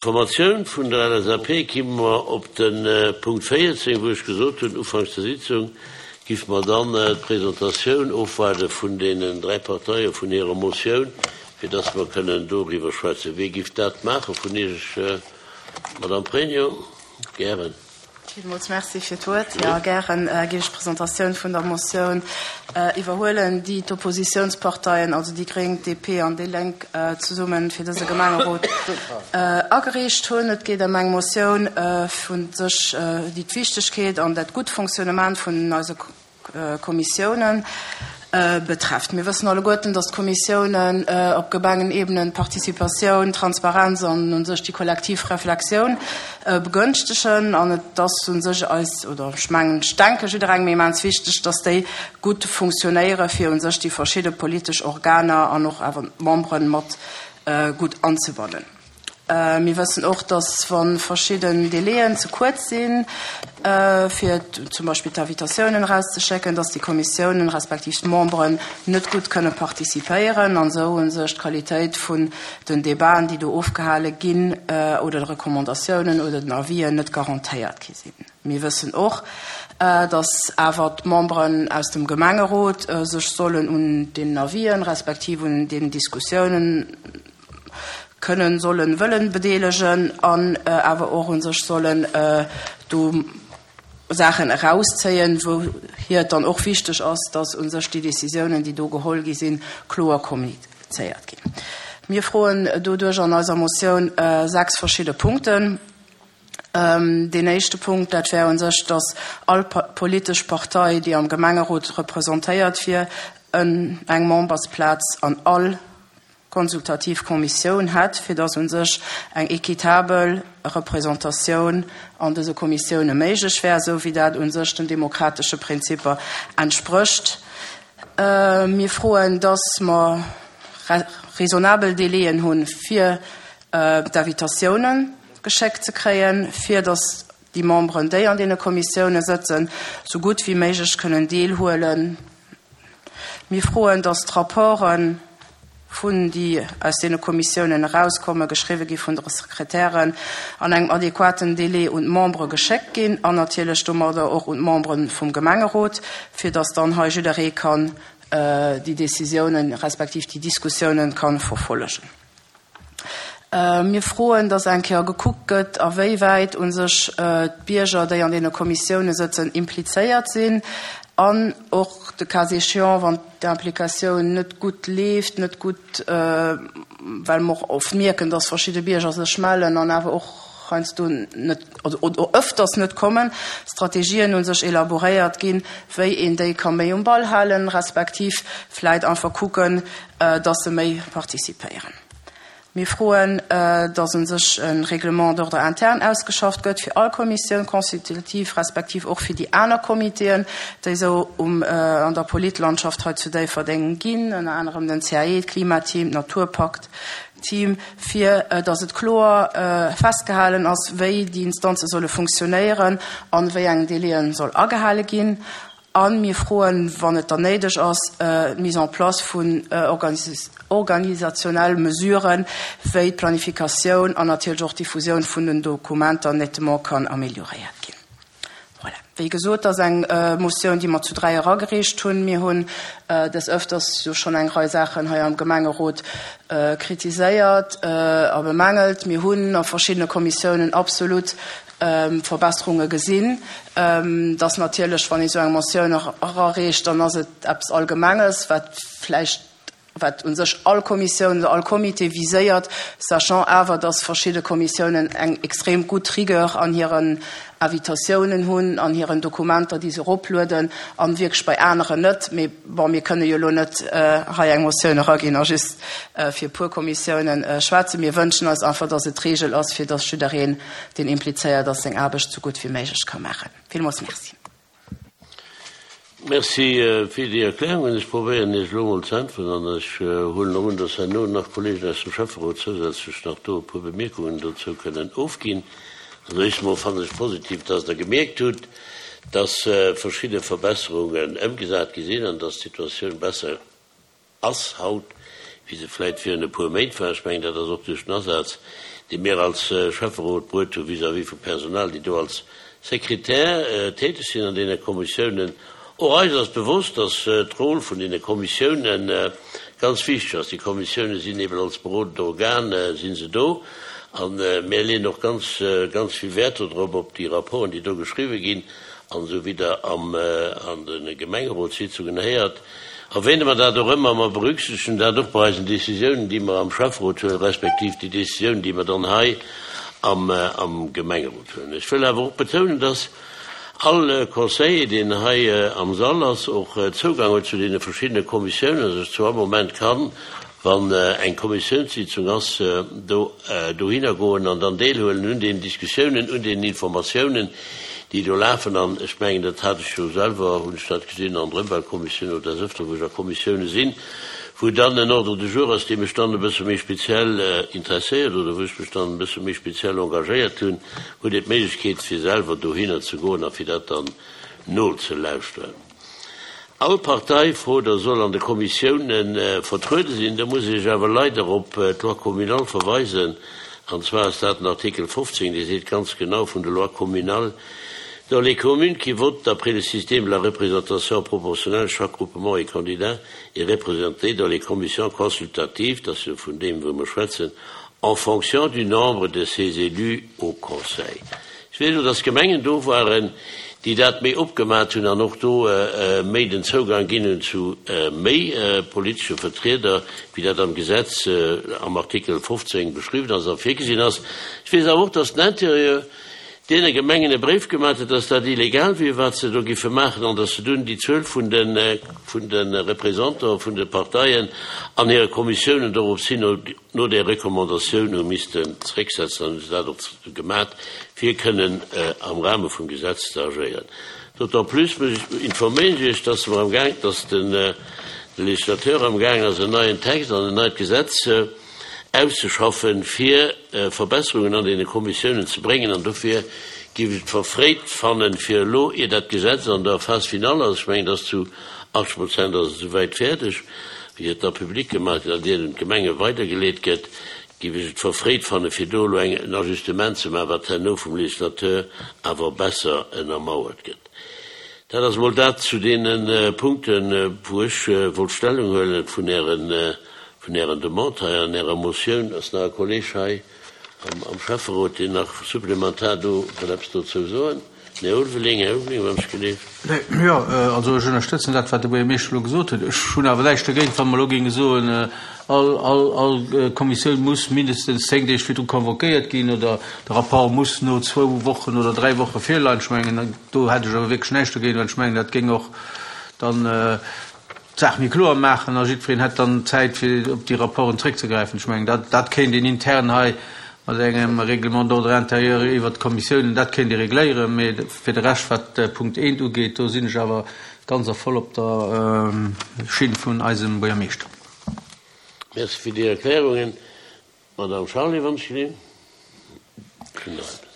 Formatioun vun der LSAP ki mer op de Punkt 14, wou ech gesot hunn, ufanks der Sitzung giff mer dann d'Presentatioun ofwaarde vun deenen 3 Parteie vun hirer Motioun, fir dass mer kënnen doriwwer schwätzen. Wie giff dat maache vun Iech? Madame Pregno, gären. Villmools Merci fir d'Wuert. Jo, gären géif ech d'Presentatioun vun der Motioun iwwerhuelen, déi d'Oppositionsparteien, also déi gréng, d'DP an déi Lénk, zesumme fir dëse Gemengerot agereecht hunn. Et geet ëm eng Motioun vun sech, déi d'Wichtegkeet an dat gutt Fonctionnement vun eise Kommissiounen betrefft. Mir wëssen alleguerten, dass d'Kommissiounen op Gemengenebenen d'Participatioun, d'Transparenz an u sech déi kollektiv Reflexioun begënschtegen. An et ass u sech eis, oder ech mengen, ech denke jidderengem immens wichteg, dass déi gutt funktionéiere fir u sech déi verschidde politesch Organer an och awer d'Memberen mat gutt anzebannen. Mir wëssen och, dass wa verschidden Délaiën ze kuerz sinn, fir zum Beispill d'Invitatiounen erauszeschécken, dass déi Kommissiounen respektiv d'Memberen net gutt kënne participéieren an esou u sech d'Qualitéit vun den Debaten, déi do ofgehale ginn, oder de Recommandatiounen oder den Avisen net garantéiert gi sinn. Mir wëssen och, dass awer d'Memberen aus dem Gemengerot sech sollen un deenen Avisen respektiv un deenen Diskussiounen kënnen, sollen, wëllen bedeelegen an awer och u sech sollen do Saachen erauszéien, wou hir et dann och wichteg ass, dass u sech déi Décisiounen, déi do geholl gi sinn, kloer kommunizéiert ginn. Mir froen doduerch an eiser Motioun 6 verschidde Punkten. Deen éischte Punkt, dat wär u sech, dass all politesch Partei, déi am Gemengerot representéiert wier, eng Membersplaz an all konsultativ Kommissioun hätt, fir dass u sech eng équitabel Representatioun an dëse Kommissioune méiglech wär, esou wéi dat u sech den demokratesche Prinzipper entsprécht. Mir froen, dass mer raisonnabel Délaiën hunn, fir d'Invitatiounen geschéckt ze kréien, fir dass déi Memberen, déi an deene Kommissioune sëtzen, esou gutt wéi méiglech kënnen deelhuelen. Mir froen, dass d'Rapporten vun déi aus deene Kommissiounen erauskommen, geschriwwe gi vun de Sekretären, an engem adequaten Délai un d'Membere geschéckt ginn an natierlech domadder och un d'Membere vum Gemengerot, fir dass dann hei jidderee kann déi Décisiounen respektiv déi Diskussiounen kann verfollegen. Mir froen, dass eng Kéier gekuckt gëtt, a wéi wäit u sech d'Bierger, déi an deene Kommissioune sëtzen, implizéiert sinn an och de cas échéant, wann d'Implikatioun net gutt leeft, net gutt, well mer och oft mierken, dass verschidde Bierger sech mellen an awer och heiansdo net oder öfters net kommen, Strategien u sech elaboréiert ginn, wéi een déi ka méi um Ball halen, respektiv vläit einfach kucken, dass se méi participéieren. Mir froen, dass u sech e Règlement d'ordre interne ausgeschafft gëtt fir all Commissioun consultative respektiv och fir déi aner Comitéen, déi esou um an der Politlandschaft hei zu Déifferdeng ginn, ënner anerem den CAE, d'Klimateam, d'Naturpakt-Team, fir dass et kloer festgehalen ass, wéi déi Instanze solle funktionéieren an wéi eng Délaië soll agehale ginn. A mir froen, wann et dann néideg ass, d'Mise en place vun organisationelle Mesuren, wéi d'Planifikatioun an natierlech och d'Diffusioun vun den Dokumenter nettement kann amélioréiert ginn. Voilà. Wéi gesot, dat ass eng Motioun, déi mer zu dräi eragereecht hunn. Mir hunn des Öfters jo schonn eng Rei Saachen hei am Gemengerot kritiséiert a bemängelt. Mir hunn a verschiddene Kommissiounen absolut Verbesserunge gesinn. Dass natierlech, wann ee sou eng Motioun erareecht, dann ass et eppes Allgemenges, wat vläicht, wat u sech all Kommissioun oder all Comité viséiert, sachant awer, dass verschidde Kommissiounen eng extrem gutt Rigueur an hiren Invitatiounen hunn, an hiren Dokumenter, déi se eroplueden, a wierklech bei aneren net. Mee bon, mir kënne jo elo net hei eng Motioun eraginn a just fir e puer Kommissiounen schwätzen. Mir wënschen eis einfach, dass et d'Regel ass, fir dass jiddereen, deen implizéiert ass, seng Aarbecht sou gutt wéi méiglech ka maachen. Villmools Merci. Merci fir déi Erklärungen. Ech probéieren Iech elo emol ze äntweren an ech huelen och un, dass herno nach Kollegen aus dem Schäfferot zousätzlech nach do e puer Bemierkungen dozou kënnen ofginn. Also éischt emol fannen ech positiv, dass Der gemierkt hutt, dass verschidde Verbesserungen ëmgesat gi sinn an dass d'Situatioun besser ass haut, wéi se vläit virun e puer Méint war. Ech mengen, dat ass och duerch den Asaz, déi mir als Schäfferot bruet hu vis-à-vis vum Personal, déi do als Sekretär täteg sinn an deene Kommissiounen. Och eis ass bewosst, dass d'Rôle vun deene Kommissiounen ganz wichteg ass. Déi Kommissiounen sinn eben als berodend Organ si se do. A mir leeën och ganz, ganz vill Wäert dodrop, op déi Rapporten, déi do geschriwwen ginn. An esou wéi Der am, an de Gemengerotssitzungen héiert, erwähne mer dat och ëmmer. Mer berücksichtegen dat och bei eisen Décisiounen, déi mer am Schäfferot huelen, respektiv déi Décisiounen, déi mer dann hei am, am Gemengerot huelen. Ech wëll awer och betounen, dass all Conseiller, deen hei am Sall ass, och Zougang huet zu deene verschiddene Kommissiounen a sech zu all Moment kann, wann eng Kommissiounssitzung ass, do dohinner goen an dann deelhuelen un deenen Diskussiounen, un deenen Informatiounen, déi do lafen. An ech mengen, dat hat ech jo selwer, hunn ech dat gesinn an der Ëmweltkommissioun oder des Ëfteren, wou ech a Kommissioune sinn, wou dann en Ordre du jour ass, dee mech dann e bësse méi speziell interesséiert oder wou ech mech dann e bësse méi speziell engagéiert hunn, huet een d'Méiglechkeet, fir selwer dohinner ze goen a fir dat dann nozelauschteren. All Partei frot a soll an de Kommissioune vertruede sinn. Do muss ech awer leider op d'Loi communale verweisen, an zwar ass dat den Artikel 15, dee seet ganz genau vun der Loi communale, Dans les communes qui votent d'après le système de la représentation proportionnelle, chaque groupement et candidat est représenté dans les commissions consultatives, dat ass jo vun deem wou mer schwätzen, en fonction du nombre de ses élus au conseil. Ech weess och, dass Gemengen do waren, déi dat méi opgemat hunn an och do méi den Zougang ginn hunn zu méi politesche Vertrieder, wéi dat am Gesetz am Artikel 15 beschriwwen ass a virgesinn ass. Ech weess awer och, dass den Interieur deene Gemengen e Bréif gemat huet, dass dat illegal wier, wat se do giffe maachen, an dass se dunn déi Zuel vun de Représentanten vun de Parteien an hire Kommissiounen dorops hin no där Recommandatioun hu missten zrécksetzen an hu se dat och gemat, fir kënnen am Rahme vum Gesetz ze agéieren. D'autant plus muss ech informéieren ech Iech, dass mer amgaang, dass de Législateur amgaang ass en neien Text an en neit Gesetz auszeschaffen, fir Verbesserungen an deene Kommissiounen ze bréngen. An dofir géif ech et verfréit fannen, fir elo, ier dat Gesetz an der Phase finale ass, ech mengen, et ass zu 80 Prozent ass et esouwäit fäerdeg, wéi et da public gemaach gëtt an ier et un d'Gemenge weidergeleet gëtt, géif ech et verfréit fannen, fir do elo eng en Ajustement ze maachen, wat herno vum Législateur awer besser ënnermauert gëtt. Dat ass emol dat zu deene Punkten, wou ech wollt Stellung huelen vun Ären, vun Ären Demande hei an Ärer Motioun. Ass nach e Kolleg hei am Schäfferot, deen nach supplementar do wëll eppes dozou soen? Här Ulveling, Här Ulveling, wann ech geleeft. Jo, also ech ënnerstëtzen dat, wat de Buergermeeschter elo gesot huet. Ech hunn awer näischt dogéint, wa mer elo géinge soen, all, all, all Kommissioun muss mindestens zéng Deeg virdru convoquéiert ginn oder de Rapport muss no zwou Wochen oder dräi Woche virleien. Ech mengen, do hätt ech awer wierklech näischt dogéint, well ech mengen, dat géing och dann d'Saach méi kloer maachen a jiddwereen hätt dann Zäit, fir op déi Rapporten zréckzegräifen. Ech mengen, dat, dat kéint een intern hei mat engem Règlement d'ordre intérieur iwwert d'Kommissiounen, dat kéint ee regléieren. Mee fir de Rescht, wat Punkt eent ugeet, do sinn ech awer ganz a voll op der Schinn vun eisem Buergermeeschter. Merci fir déi Erklärungen. D'Madame Charlé, wann ech geleeën.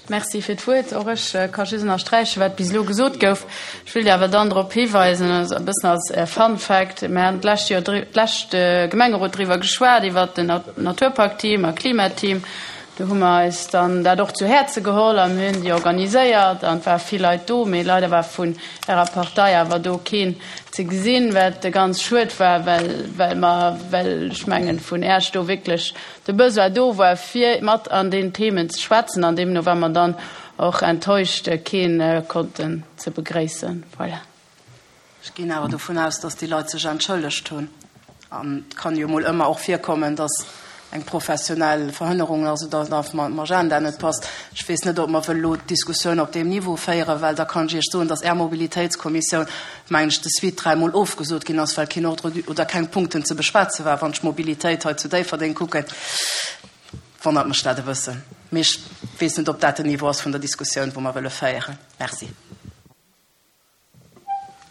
Merci fir d'Wuert. Och ech ka just ënnersträichen, wat bis elo gesot gouf. Ech wëilt awer dann drop hiweisen, e bëssen als Fun Fact, Mir haten d'lescht Joer, d'lescht Gemengerot driwwer geschwat, iwwert den Naturparkteam a Klimateam. Do hu mer eis dann dat och zu Häerze geholl a mir hunn déi organiséiert an et ware vill Leit do. Mee leider war vun Ärer Partei awer do keen ze gesinn, wat ganz schued war, well, well mer, well ech mengen, vun Äech do wierklech de Besoin do war, fir mat an deenen Themen ze schwätzen. An deemno war mer dann och enttäuscht, keen konnten ze begréissen. Voilà. Ech ginn awer dovun aus, dass déi Leit sech entschëllegt hunn. An et kann jo mol ëmmer och virkommen, dass eng professionell Verhënnerung ass oder dass mam Agenda net passt. Ech weess net, ob mer wëlle lo d'Diskussioun op deem Niveau féieren, well da kann ech Iech soen, dass Är Mobilitéitskommissioun, mengen ech, de suite dräimol ofgesot ginn ass, well keen Ordre du oder keng Punkten ze beschwätze war. Wann ech d'Mobilitéit hei zu Déifferdeng kucken, wonnert mech dat e bëssen. Mee ech weess net, ob dat den Niveau ass vun der Diskussioun, wou mer wëlle féieren. Merci.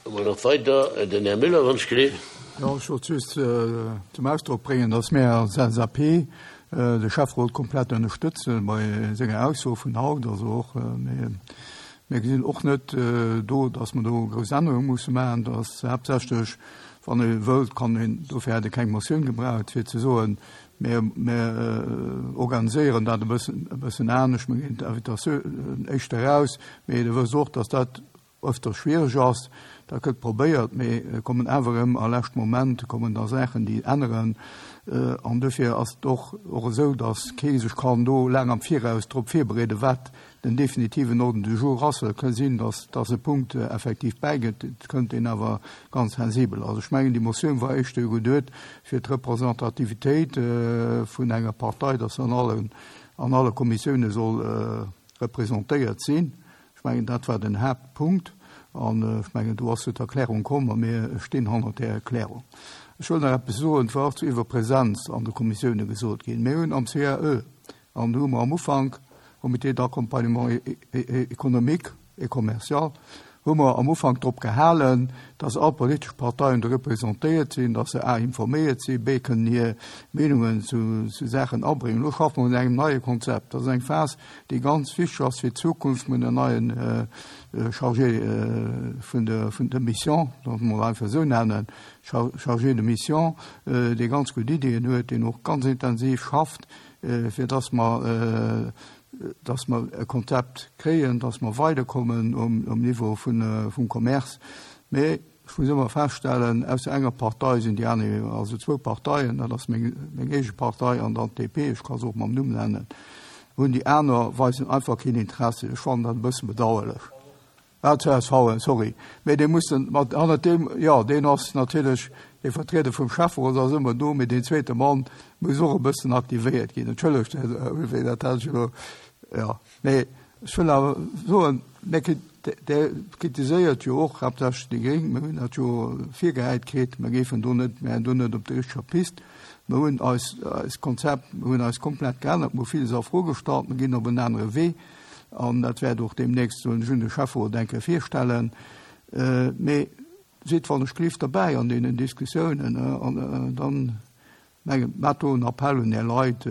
Emol nach weider den Här Müller, wann ech geleeft. Jo, ech wollt just zum Ausdrock bréngen, dass mär als LSAP de Schäfferot komplett ënnerstëtze bei senger Ausso vun haut. Also och mir, mir gesinn och net do, dass mer do grouss Ännerunge musse maachen. Dass haaptsächlech, wann ee wëllt, kann een, dofir hätt ee keng Motioun gebraucht, fir ze soen,. Mir, mir organiséieren dat e bëssen, e bëssen anescht. Mir ginn d'Invitatioun éischter eraus. Mee Der wësst och, dass dat öfter schwiereg ass. Dat gëtt probéiert, mee et kommen awer erëm a leschte Moment kommen da Saachen, déi änneren. An dofir ass et och, och esou, dass kee sech kann do laang am Viraus drop virbereeden, wat den definitiven Ordre du jour ass. Et ka sinn, dass, dass e Punkt effektiv bäigëtt, et kënnt, deen awer ganz sensibel ass. Ech mengen, déi Motioun war éischter geduet fir d'Representativitéit vun enger Partei, dass se an allen, an alle Kommissioune soll representéiert sinn. Ech mengen, dat war den Haaptpunkt. An ech mengen, do ass jo d'Erklärung komm a mir stinn hannert där Erklärung. Ech wëll nach eppes soen, et war och iwwer Präsenz an de Kommissioune gesot ginn. Mir hunn am CAE, an do hu mer am Ufank, Comité d'accompagnement économique et commercial, hu mer am Ufank drop gehalen, dass all politesch Parteien do representéiert sinn, dass se a informéiert sinn, b kënnen hir Meenungen zu Saachen abréngen. Elo schaffe mer un engem neie Konzept. Dat ass eng Phas, déi ganz wichteg ass fir d'Zukunft. Mir hunn en neien Chargé vun der vun der Mission, dat mol einfach esou nennen, Chargé de mission, dee ganz gutt Iddien huet, deen och ganz intensiv schafft, fir dass mer dass mer e Konzept kréien, dass mer weiderkommen um um Niveau vun vum Commerce. Mee ech muss ëmmer feststellen, ausser enger Partei sinn déi aner, also zwou Parteien, dat ass meng meng eege Partei an dann d'DP, ech ka se och mam Numm nennen, hunn déi aner weisen einfach keen Interessi. Ech fannen dat e bësse bedauerlech. Ah, csv, sorry, mee dee muss dann mat hannert deem, jo, deen ass natierlech dee Vertrieder vum Schäfferot ass ëmmer do, mee deen zweete Mann muss och e bëssen aktivéiert ginn. Entschëllegt, Här Ulveling, dat hat ech elo, jo. Mee ech wëll awer soen, mir Der kritiséiert jo och haaptsächlech déi Gréng, mir hunn dat jo virgehäit kritt, mir géifen do net, mir wären do net op der richteger Pist. Mir hunn eis, eist Konzept, mir hunn eis komplett geännert, mir hu villes a Fro gestallt, mir ginn op en anere Wee an dat wäert och deemnächst, soen ech, un de Schäfferot eng Kéier virstellen. Mee sidd wann ech gelift derbäi an deenen Diskussiounen an dann Mengen, maacht do en Appell un Är Leit,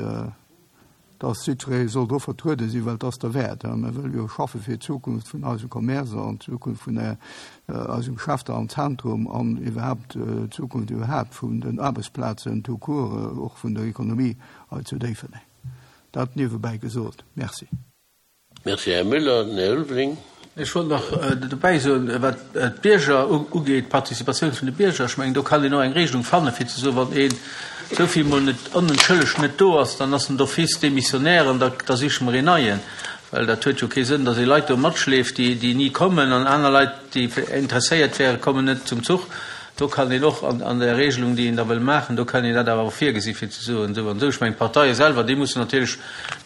dass jiddweree soll do vertruede sinn, well et ass derwäert. Mir wëlle jo schaffe fir d'Zukunft vun eisem Commerce an d'Zukunft vun eisem Geschäfter am Zentrum an iwwerhaapt d'Zukunft iwwerhaapt vun den Aarbechtsplazen tout court, och vun der Ekonomie hei zu Déifferdeng. Dat niewebäi gesot. Merci. Merci, Här Müller. Den Här Ulveling. Ech wollt nach dobäi soen, wat d'Bierger ugeet, d'Participatioun vun de Bierger, ech mengen, do kann een och eng Regelung fannen, fir ze soen, wann een esou vill Mol net onentschëllegt net do ass, dann ass en d'office démissionnaire an da da siche mer een neien. Well dat huet jo kee Sënn, datt ee Leit do matschleeft, déi déi ni kommen, an aner Leit, déi interesséiert wären, kommen net zum Zuch. Do kann een och an der Regelung, déi een da wëll maachen, do kann een dat awer och virgesi fir ze soen, esou an esou. Ech mengen, d'Parteie selwer, déi mussen natierlech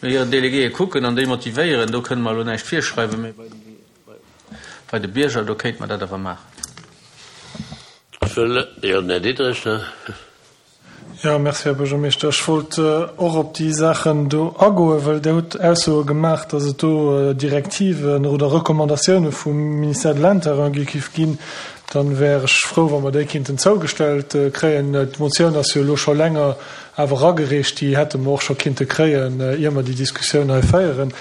no hiren Delegéeë kucken an déi motivéieren. Do kënne mer elo näischt virschreiwen, mä bei de Bierger, do kéinte mer dat awer maachen. Ech wëll, jo, den Här Diderich nach. Jo, merci, Här Buergermeeschter. Ech wollt och op déi Saachen do agoen, well Der hutt Aussoe gemaach, datt et do Direktiven oder Recommandatioune vum Ministère de l'Intérieur gi giff ginn. Dann wär ech frou, wa mer déi kinnten zougestellt kréien. D'Motioun ass jo elo scho länger awer eragereecht. Déi hätte mer och scho kinnte kréien, ier mer déi Diskussioun hei féieren,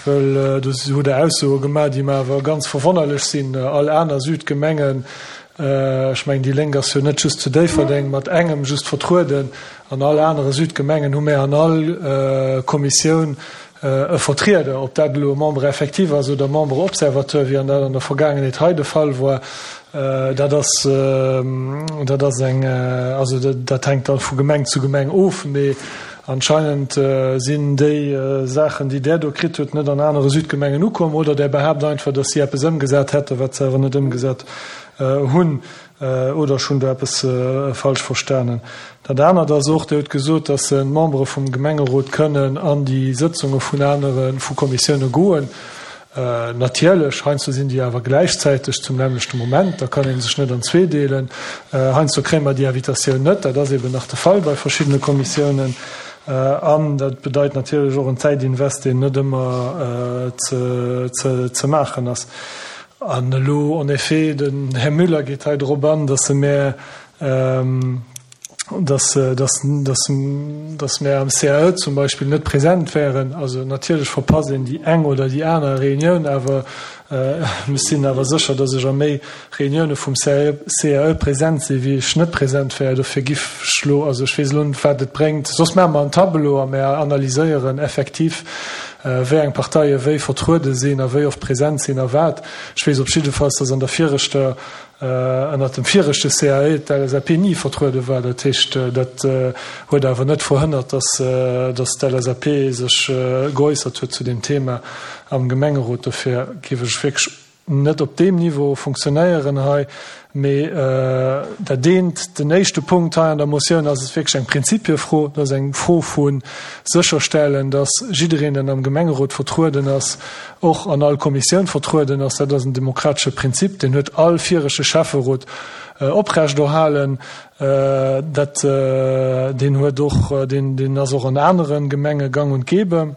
well do hutt Der Aussoe gemaach, déi mer awer ganz verwonnerlech sinn. All aner Südgemengen Ech mengen, déi Lénk ass jo net just zu Déifferdeng mat engem just vertrueden. An all anere Südgemengen hu mär an all Kommissioun e Vertrieder. Ob dat elo e Membre effectif ass oder e Membre observateur, wéi an dat an der Vergaangenheet hei de Fall war, dat ass, dat ass eng, also dat hänkt da vu Gemeng zu Gemeng of. Mee anscheinend sinn déi Saachen, déi Där do kritt hutt, net an anere Südgemengen ukomm. Oder Der behaapt einfach, datt si eppes ëmgesat hätten, wat se awer net ëmgesat hunn, oder ech hunn do eppes falsch verstanen. Dat anert ass och, Dir hutt gesot, dass d'Membere vum Gemengerot kënnen an déi Sëtzunge vun anere vu Kommissioune goen. Natierlech, heiansdo sinn déi awer gläichzäiteg zum nämmlechte Moment, da kann ee sech net an zweedeelen. Heiansdo kréie mer déi Invitatioun net, dat ass eeben nach de Fall bei verschiddene Kommissiounen. An dat bedeit natierlech och en Zäitinvest, deen net ëmmer ze maachen ass. An elo, en effet, den Här Müller geet hei drop an, dass e mär. Dass, dass, dass, dass mär am CAE zum Beispill net present wären. Also natierlech verpasst een déi eng oder déi aner Reunioun, awer ech sinn awer sécher, dass ech a méi Reunioune vum CAE present sinn, wéi ech net present wär. Dofir giff ech elo, also ech weess elo net, wat et bréngt, soss maache mer en Tableau a mär analyséieren effektiv, wéi eng Parteie wéi vertruede sinn a wéi oft present sinn a wat. Ech weess op jiddefalls, dass an der viregter ënnert dem viregte CAE d'LSAP ni vertruede war. Dat heescht, dat huet awer net verhënnert, dass dass d'LSAP sech geäussert huet zu deem Thema am Gemengerot. Dofir géif ech wierklech net op deem Niveau funktionéieren hei. Mee dat eent, den éischte Punkt hei an der Motioun ass et wierklech eng Prinzipiefro. Dat ass eng Fro vu sécherstellen, dass jiddereen, deen am Gemengerot vertrueden ass, och an all Kommissioun vertrueden ass. Dat ass en demokratesche Prinzip, deen huet all viregte Schäfferot oprechterhalen. Dat, deen huet och, deen, deen ass och an anere Gemenge gang und gäbe.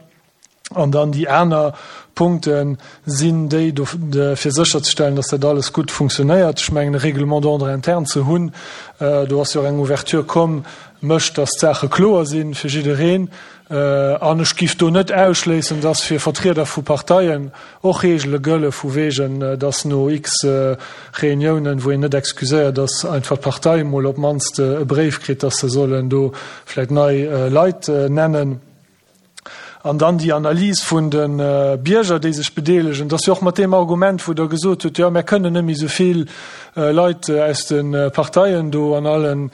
An dann déi aner Punkte sinn déi do, fir sécherzestellen, dass dat alles gutt funktionéiert. Ech mengen, e Règlement d'ordre interne ze hunn, do ass jo och eng Ouverture komm, mécht, dass d'Saache kloer si fir jiddereen. An ech giff do net ausschléissen, dass fir Vertrieder vu Parteien och Reegele gëlle vu wegen, dass no x Reuniounen, wou een net excuséiert ass, einfach d'Partei emol op d'mannst e Bréif kritt, dass se sollen do vläicht nei Leit nennen. An dann déi Analys vun de Bierger, déi sech bedeelegen, dass jo och mat deem Argument, wou Der gesot hutt, jo, mär kënnen net méi esou vill Leit aus de Parteien do an alle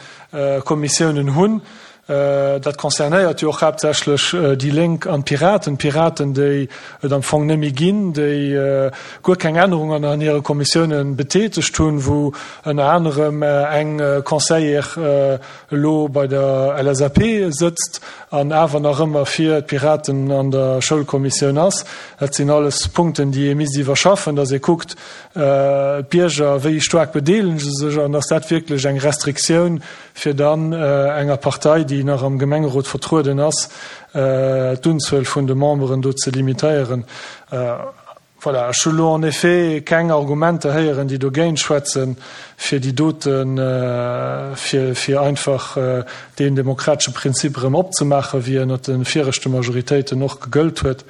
Kommissiounen hunn, Dat concernéiert jo och haaptsächlech déi Lénk an d'Piraten. D'Piraten, déi et am Fong net méi ginn, déi guer keng Ännerungen an hire Kommissioune betätegt hunn, wou ënner anerem eng Conseillère elo bei der LSAP sëtzt an awer nach ëmmer fir d'Piraten an der Schoulkommissioun ass. Dat sinn alles Punkten, déi ee misst iwwerschaffen, datt ee kuckt, d'Bierger, wéi staark bedeelegen se sech an ass dat wierklech eng Restriktioun, fir dann enger Partei, déi nach am Gemengerot vertrueden ass, d'Unzuel vun de Memberen do ze limitéieren. Voilà, ech hu lo en effet keng Argumenter héieren, déi dogéint schwätzen, fir déi doten, fir, fir einfach deen demokratesche Prinzip erëm opzemaachen, wéi ënnert de viregte Majoritéiten och gegëllt huet.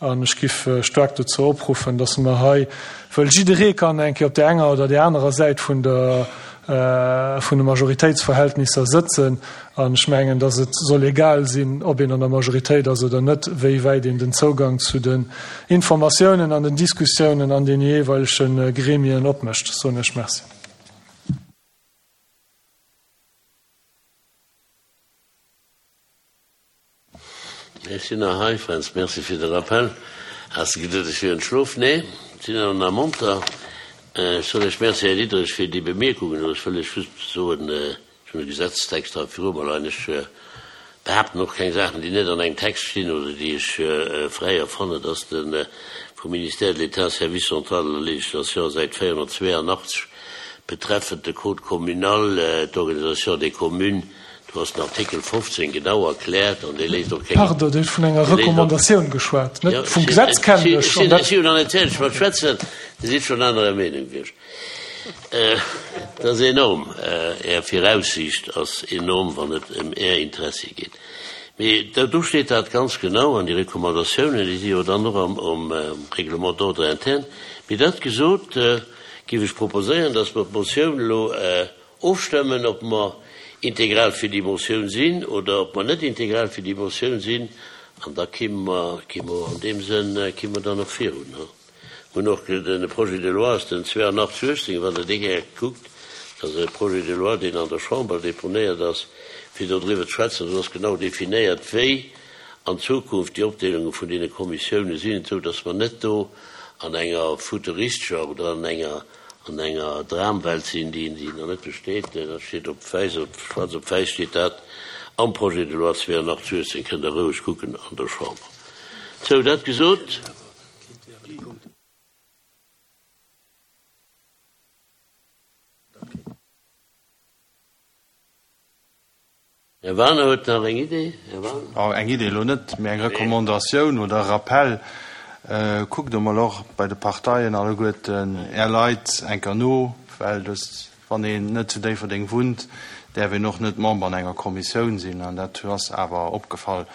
An ech giff staark dozou opruffen, dass mer hei, wëll jidderee kann eng Kéier op där enger oder där anerer Säit vun der, vun de Majoritéitsverhältnisser sëtzen. An ech mengen, datt et soll egal sinn, ob een an der Majoritéit ass oder net, wéi wäit een den Zougang zu den Informatiounen an den Diskussiounen an den jeeweilege Gremien opmécht. Soen ech Merci. Ech sinn nach hei, Fränz. Merci fir de Rappel. Has de geduet, ech wier entschlof? Nee, sinn awer nach monter. Ech soen Iech Merci, Här Diderich, fir déi Bemierkungen. Ech wëll Iech just soen, ech hunn e Gesetzestext hei viru mer leien. Ech behaapten och keng Saachen, déi net an engem Text stinn oder déi ech fräi erfannen. Et ass de vum Ministère de l'État, Service central de la législation, Säit 482, betreffend de Code communal, d'Organisation des communes, Do ass den Artikel 15 genau erkläert an dee léisst och keng. Pardon, Dir hutt vun enger Recommandatioun geschwat, net vum Gesetz kennen ech. Ech si jo nach net fäerdeg mat schwätzen, Dir sidd schonn anerer Meenung wéi ech. Dat ass enorm, Är Viraussiicht ass enorm, wann et ëm Är Interessie geet. Mee do steet dat ganz genau an déi Recommandatiounen, déi si jo dann och am Règlement d'ordre interne. Mee dat gesot, géif ech proposéieren, dass mer d'Motioun elo Ofstëmmen, ob mer integral fir déi Motioun sinn oder ob mer net integral fir déi Motioun sinn, an da kimme mer, kimme mer an deem Sënn, kimme mer dann och virun. Mer hunn och de Projet de loi ass den 82 18, wann Der dee gär kuckt, dat ass e Projet de loi, deen an der Chamber deponéiert ass, fir dodriwwer ze schwätzen. Do ass genau definéiert, wéi an Zukunft déi Opdeelunge vun deene Kommissioune sinn, esou datt mer net do an enger futuristescher oder an enger an enger Dramwelt sinn, déi nach net besteet. Dat steet op wäiss op, schwaarz op wäiss steet dat am Projet de loi 82 18, kënnt Der roueg kucken an der Chamber. Sou, dat gesot. Här Wagener huet nach eng Idee. Här Wagener. Eng Idee elo net, mee eng Recommandatioun oder e Rappell, Kuckt emol och bei de Parteien alleguerten Är Leit eng Kéier no, well dës, wann een net zu Déifferdeng wunnt, Däerf een och net Member an enger Kommissioun sinn. An dat ass awer opgefall.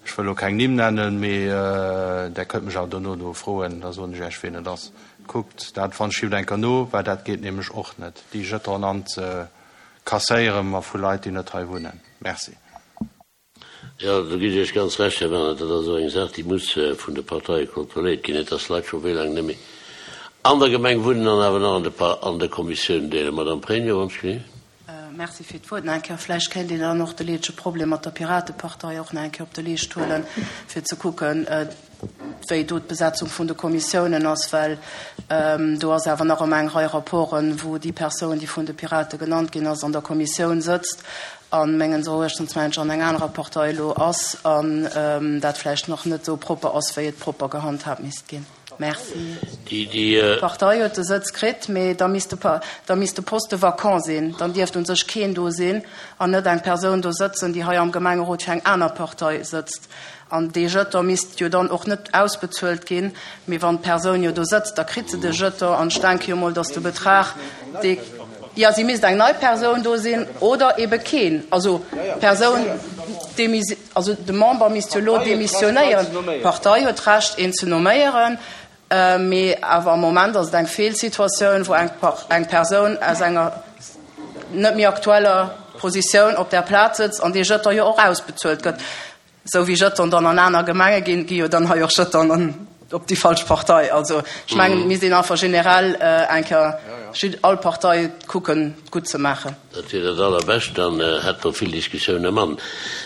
Ech wëll elo keng Nimm nennen, mee Der kënnt mech awer dono do froen, da soen ech Iech, wien et ass. Kuckt dat wann schifft eng Kéier no, well dat geet nämlech och net, déi Jetonen anzekasséieren, ma vu Leit, déi net hei wunnen. Merci. Jo, do ginn ech Iech ganz Recht, Här Werner. Dat ass och eng Saach, déi muss vun de Parteie kontrolléiert ginn. Net, dass Leit scho wéi laang net méi an der Gemeng wunnen an awer nach an de an de Kommissiounen deelen. Madame Pregno, wann ech genee. Merci fir d'Wuert nach eng Kéier. Vläicht kéint een dann och de leedege Problem mat der Piratepartei och nach eng Kéier op de Leescht huelen, fir ze kucken, wéi do d'Besetzung vun de Kommissiounen ass, well do ass awer nach ëmmer eng Rei Rapporten, wou déi Persoun, déi vun de Pirate genannt ginn ass, an der Kommissioun sëtzt a mengens Eruechtens, mengen ech, an eng anerer Partei elo ass an dat vläicht nach net esou propper ass, wéi et propper gehandhaabt misst ginn. Merci. D'Partei huet de Sëtz kritt, mee da misst de, da misst de Poste vacant sinn. Dann dierft u sech keen do sinn an net eng Persoun do sëtzen, déi hei am Gemengerot fir eng aner Partei sëtzt. An dee Jeton misst jo dann och net ausbezuelt ginn, mee wann d'Persoun jo do sëtzt, da kritt se de Jeton. An ech denke jo mol, datt de Betrag, dee, jo, si misst eng nei Persoun do sinn oder ebe keen. Also d'Persoun démis, also de Member misst jo elo demissionéieren. D'Partei huet d'Recht, een ze nomméieren, mee awer am Moment ass et eng Feelsituatioun, wou eng Persoun aus enger net méi aktueller Positioun op där Plaz sëtzt an dee Jeton jo och ausbezuelt gëtt. Esou wéi Jetonen dann an aner Gemenge ginn, gi jo dann hei och Jetonen an op déi falsch Partei. Also ech mengen, et misst een einfach generell eng Kéier all Partei kucken gutt ze maachen. Dat wier dat Allerbescht, dann hätte mer vill Diskussioune mann.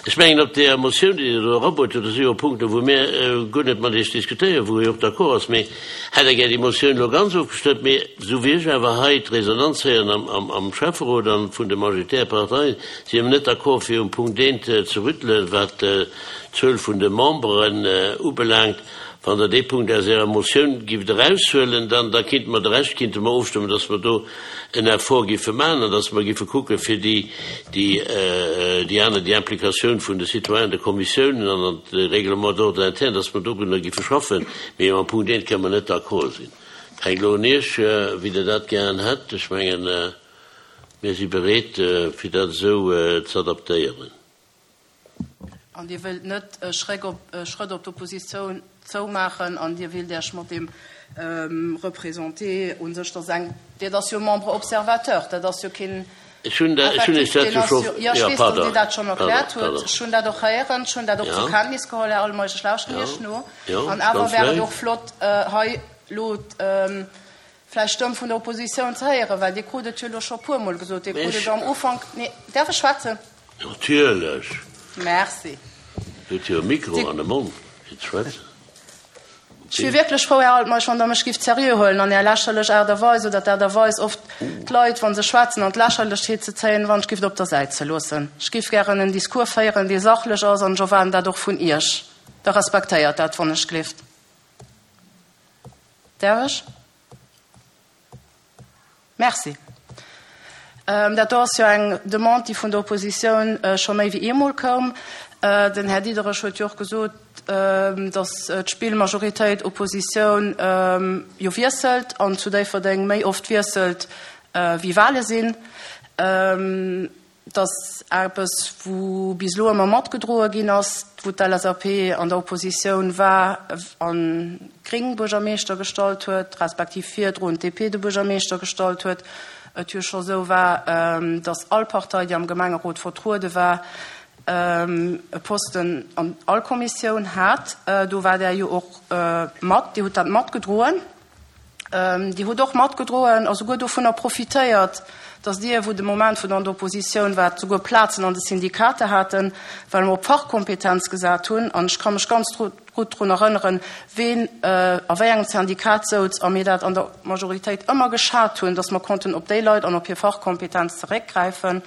Ech mengen, op där Motioun, déi Dir do erabruet hutt, do si jo Punkten, wou mir guer net mat Iech diskutéieren, wou ee och d'accord ass. Mee hätt Der gär déi Motioun elo ganz ofgestëmmt. Mee esou wéi ech awer hei d'Resonanz héieren am Schäfferot a vun de majoritäre Parteien, si mer net d'accord, fir um Punkt eent ze rüttelen, wat d'Zuel vun de Memberen ubelaangt. Wann Der dee Punkt aus Ärer Motioun gift eraushuelen, dann da kinnte mer de Rescht kinnte mer ofstëmmen, dass mer do en Effort giffe maachen an dass mer giffe kucke fir déi, déi, déi aner, déi Implikatioun vun de Citoyenen, de Kommissiounen an an de Règlement d'ordre interne, dass mer dorunner giffe schaffen. Mee mam Punkt eent kënnen mer net d'accord sinn. Et hänkt elo un Iech, wéi Der dat gären hätt. Ech mengen, mir si bereet, fir dat esou ze adaptéieren. An Dir wëllt net e Schréck op, e Schrëtt op d'Oppositioun zoumaachen an Dir willt Iech mat deem Représenté u sech, dat ass eng, dat ass jo e Membre observateur, dat ass jo keen Ech hunn dat, ech hunn Iech effektiv, dat deen jo ass scho, jo, jo, ech jo, weess, datt pardon, Dir dat schonn pardon, erkläert hutt. pardon. Ech hunn dat och héieren, ech hunn dat och zur Ja. Kenntnis geholl, Här Altmeisch, ech lauschteren Ja, Iech no. jo, An awer ganz wär et léif. och flott, hei elo vläicht d'Stëmm vun der Oppositioun ze héieren, well Dir krut et jo elo scho e puermol gesot, Dir krut et am Ufank, nee, däerf ech schwätzen? Natierlech! Merci. Dir hutt jo e Mikro an de Mond, fir ze schwätzen. Ech wier wierklech frou, Här Altmeisch, wann Der mech gifft seriö huelen an Är lächerlech Aart a Weis oder d'Aart a Weis, oft d'Leit, wa se schwätzen, an d'Lächerlechheet ze zéien, wann ech gifft op der Säit ze loossen. Ech giff gären en Discours féieren, dee sachlech ass, an ech erwaarden dat och vun Iech. Da respektéiert dat, wann ech gleeft. Däerf ech? Merci. Dat do ass jo eng Demande, déi vun der Oppositioun scho méi wéi eemol koum. Den Här Diderich huet jo och gesot, datt d'Spill Majoritéit, Oppositioun jo wiesselt an zu Déifferdeng méi oft wiesselt wéi Wahle sinn. Et ass eppes, wou bis elo ëmmer matgedroe ginn ass, wou d'LSAP an der Oppositioun war an d'Gréng Buergermeeschter gestallt huet, respektiv virdrun d'DP de Buergermeeschter gestallt huet. Et jo scho sou war, datt all Partei, déi am Gemengerot vertruede war, e Posten an all Kommissioun hat. Do war Der jo och mat, Dir hutt dat matgedroen. Dir hutt och matgedroen a souguer dovunner profitéiert, datt Dir, wou de Moment, wou Der an der Oppositioun waart, souguer Plazen an de Syndikater haten, well mer op Fachkompetenz gesat hunn. An ech ka mech ganz gutt drun erënneren, ween a wéi engem Syndikat souz a mir dat an der Majoritéit ëmmer geschat hunn, datt mer konnten op déi Leit an op hir Fachkompetenz zeréckgräifen.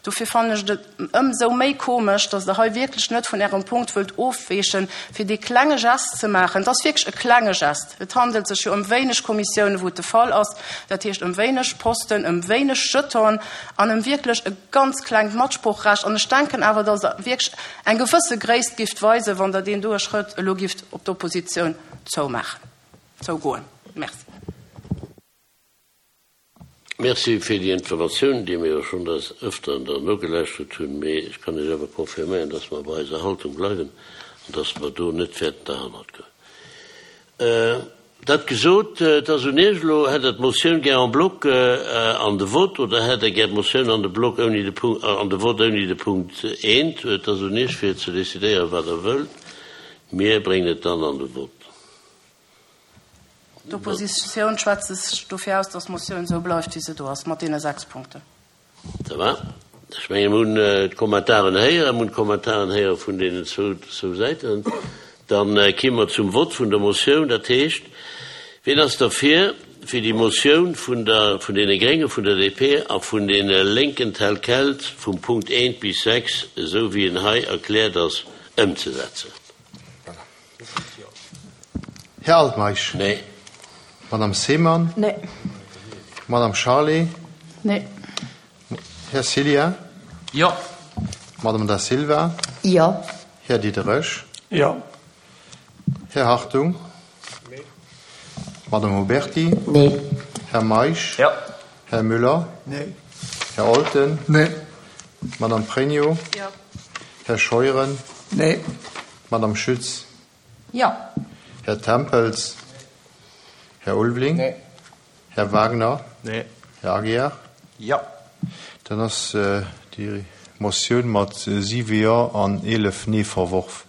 Dofir fannen ech et Ëmsou méi komesch, dass Der hei wierklech net vun Ärem Punkt wëllt ofweechen, fir dee klenge Gest ze maachen. Et ass wierklech e klenge Gest. Et handelt sech jo ëm wéineg Kommissiounen, wou et de Fall ass, dat heescht ëm wéineg Posten, ëm wéineg Jetonen an ëm wierklech e ganz klengt Matsproochrecht. An ech denken awer, dass Der wierklech eng gewësse Gréisst gifft weisen, wann Der deen doe Schrëtt elo gifft op d'Oppositioun zoumaachen, zougoen. Merci. Merci fir déi Informatioun, déi mir jo schonn des Ëfteren dann nogelauschtert hunn. Mee ech kann Iech awer confirméieren, dass mer bei eiser Haltung bleiwen an dass mer do net wäerten derhannert goen. Dat gesot, et ass un Iech elo, Hätt Der d'Motioun gär en bloc an de Vote oder hätt Der gär d'Motioun an de Bloc ouni de Punkt, an de Vote ouni de Punkt eent? Et ass un Iech fir ze decidéieren, wat Der wëllt. Mir bréngen et dann an de Vote. D'Oppositioun schwätzt sech dofir aus, dass d'Motioun esou bleift, wéi se do ass, mat deene 6 Punkten. Ça va. Ech mengen, mir hunn d'Kommentaren héieren, mir hunn d'Kommentaren héiere vun deenen zwou Säiten. Da ki mer zum Vott vun der Motioun. Dat heescht, wien ass derfir, fir déi Motioun vun der, vun deene Gréngen, vun der DP a vun deene Lénken tel quel vum Punkt 1 bis 6, esou wéi en hei erkläert ass, ëmzesetzen? Här Altmeisch? Nee. Madame Seemann? Nee. Madame Charlé? Nee. Här Cillien? Jo. Madame Da Silva? Jo. Här Diderich? Jo. Här Hartung? Nee. Madame Huberti? Nee. Här Meisch? Jo. Här Müller? Nee. Här Olten? Nee. Madame Pregno? Jo. Här Scheuren? Nee. Madame Schütz? Jo. Här Tempels? Här Ulveling? Nee. Här Wagner? Nee. Här Aguiar? Jo. Dann ass déi Motioun mat 7 Jo an 11 Nee verworf.